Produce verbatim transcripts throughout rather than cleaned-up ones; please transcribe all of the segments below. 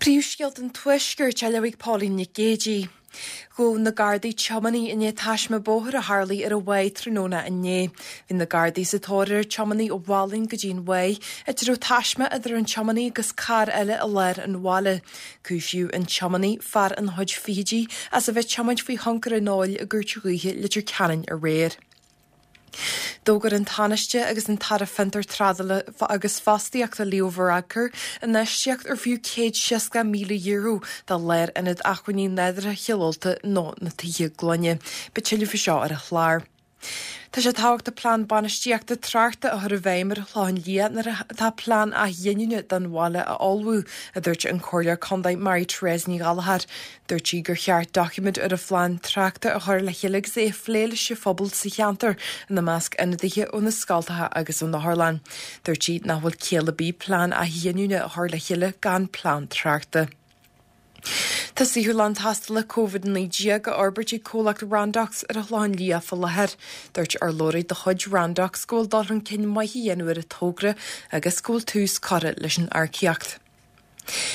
Príomhscéalta an Tuaiscirt á léamh ag Pauline Nic Géadaigh. Ghabh na Gardaí tiománaí i ndiaidh taisme bóthair a tharlaigh ar an Mhaigh tráthnóna inné. Bhí na Gardaí sa tóir ar an tiománaí ó Mhálainn go dtí an Mhaigh, áit a raibh taisme idir an tiománaí agus carr eile i lár an bhaile. Cúisíodh an tiománaí, fear ina chuid fichidí, as a bheith ag tiomáint faoi thionchar an óil i gCúirt Dhúiche Leitir Ceanainn aréir. D'fhógair an Tánaiste agus an tAire Fiontar Trádála agus Fostaíochta Leo Varadkar infheistíocht ar fiú céad seasca míle euro do Lárionad Acmhainní Nádúrtha Chill Ulta nó na Tithe Gloine. Beidh tuilleadh faoi seo ar an chlár. Tá sé tábhachtach plean bainistíochta tráchta a chur i bhfeidhm ar an Chlochán Liath nuair atá plean athghiniúna don bhaile á ullmhú, a dúirt an Comhairleoir Contae Mary Therese Ní Ghallchóir. Dúirt sí gur cheart doiciméad ar an phlean tráchta a chur le chéile agus é a phlé leis an phobal sa cheantar, ina measc ionadaithe ó na scoltacha agus ón otharlann. Dúirt sí nach bhfuil ciall ar bith plean athghiniúna a chur le chéile gan plean tráchta. Tá saotharlann tástála Covid naoi déag á fhorbairt ag comhlacht Randox ar an Chlochán Liath faoi láthair. Dúirt urlabhraí de chuid Randox go bhfuil dul chun cinn maith á dhéanamh ar an togra agus go bhfuil tús curtha leis an earcaíocht.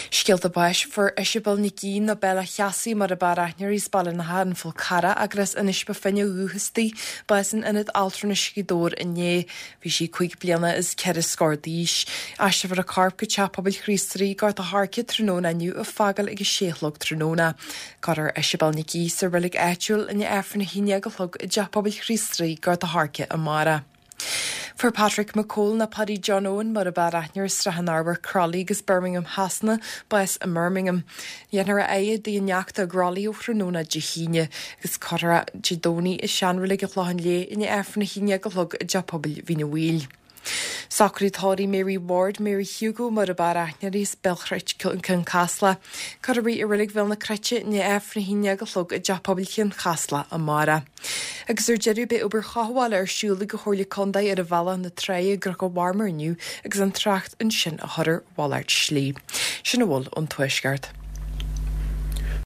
Scéalta báis fuair Isabel Nic Aoidh nó Bella Cheasaí mar ab fhearr aithne uirthi as Baile na hAbhann Fál Carrach agus Inis Bó Finne ó dhúchas di, bás in Ionad Altranais Ghaoth Dobhair inné. Bhí sí cúig bliana is ceithre scór d'aois. Aistreofar a corp go Teach Pobail Chríost Rí, Gort a' Choirce tráthnóna inniu ag fágáil ag a sé a chlog tráthnóna. Cuirfear Isabel Nic Aoidh sa reilig áitiúil i ndiaidh Aifreann a haon déag a chlog i dTeach Pobail Chríost Rí, Gort a' Choirce amárach. Fuair Patrick McCole nó Paddy John Owen mar ab fhearr aithne air as Srath an Arbhair, Crolly agus Birmingham Shasana, bás i mBirmingham. Dhéanfar a fhaire i dtigh a neachta i gCrolly ó thráthnóna Dé hAoine agus cuirfear é Dé Domhnaigh i seanreilig an Chlocháin Léith i ndiaidh Aifreann a haon déag a chlog i dTeach Pobail Mhín an Mhaoil. Socraid tórraimh Mary Ward, Mary Hugo mar ab fhearr aithne uirthi as Béal Chruit, Cionn Caslach. Cuirfear í i reilig Bhéal na Cruite i ndiaidh Aifreann a haon déag a chlog i dTeach Pobail Chionn Chaslach amárach. Agus ar deireadh beidh obair chothabhála ar siúl ag an Chomhairle Contae ar Bhealach na Tráighe i gCnoc an Mharmair inniu agus an trácht ansin á chur ar mhalairt slí. Sin a bhfuil ón Tuaisceart.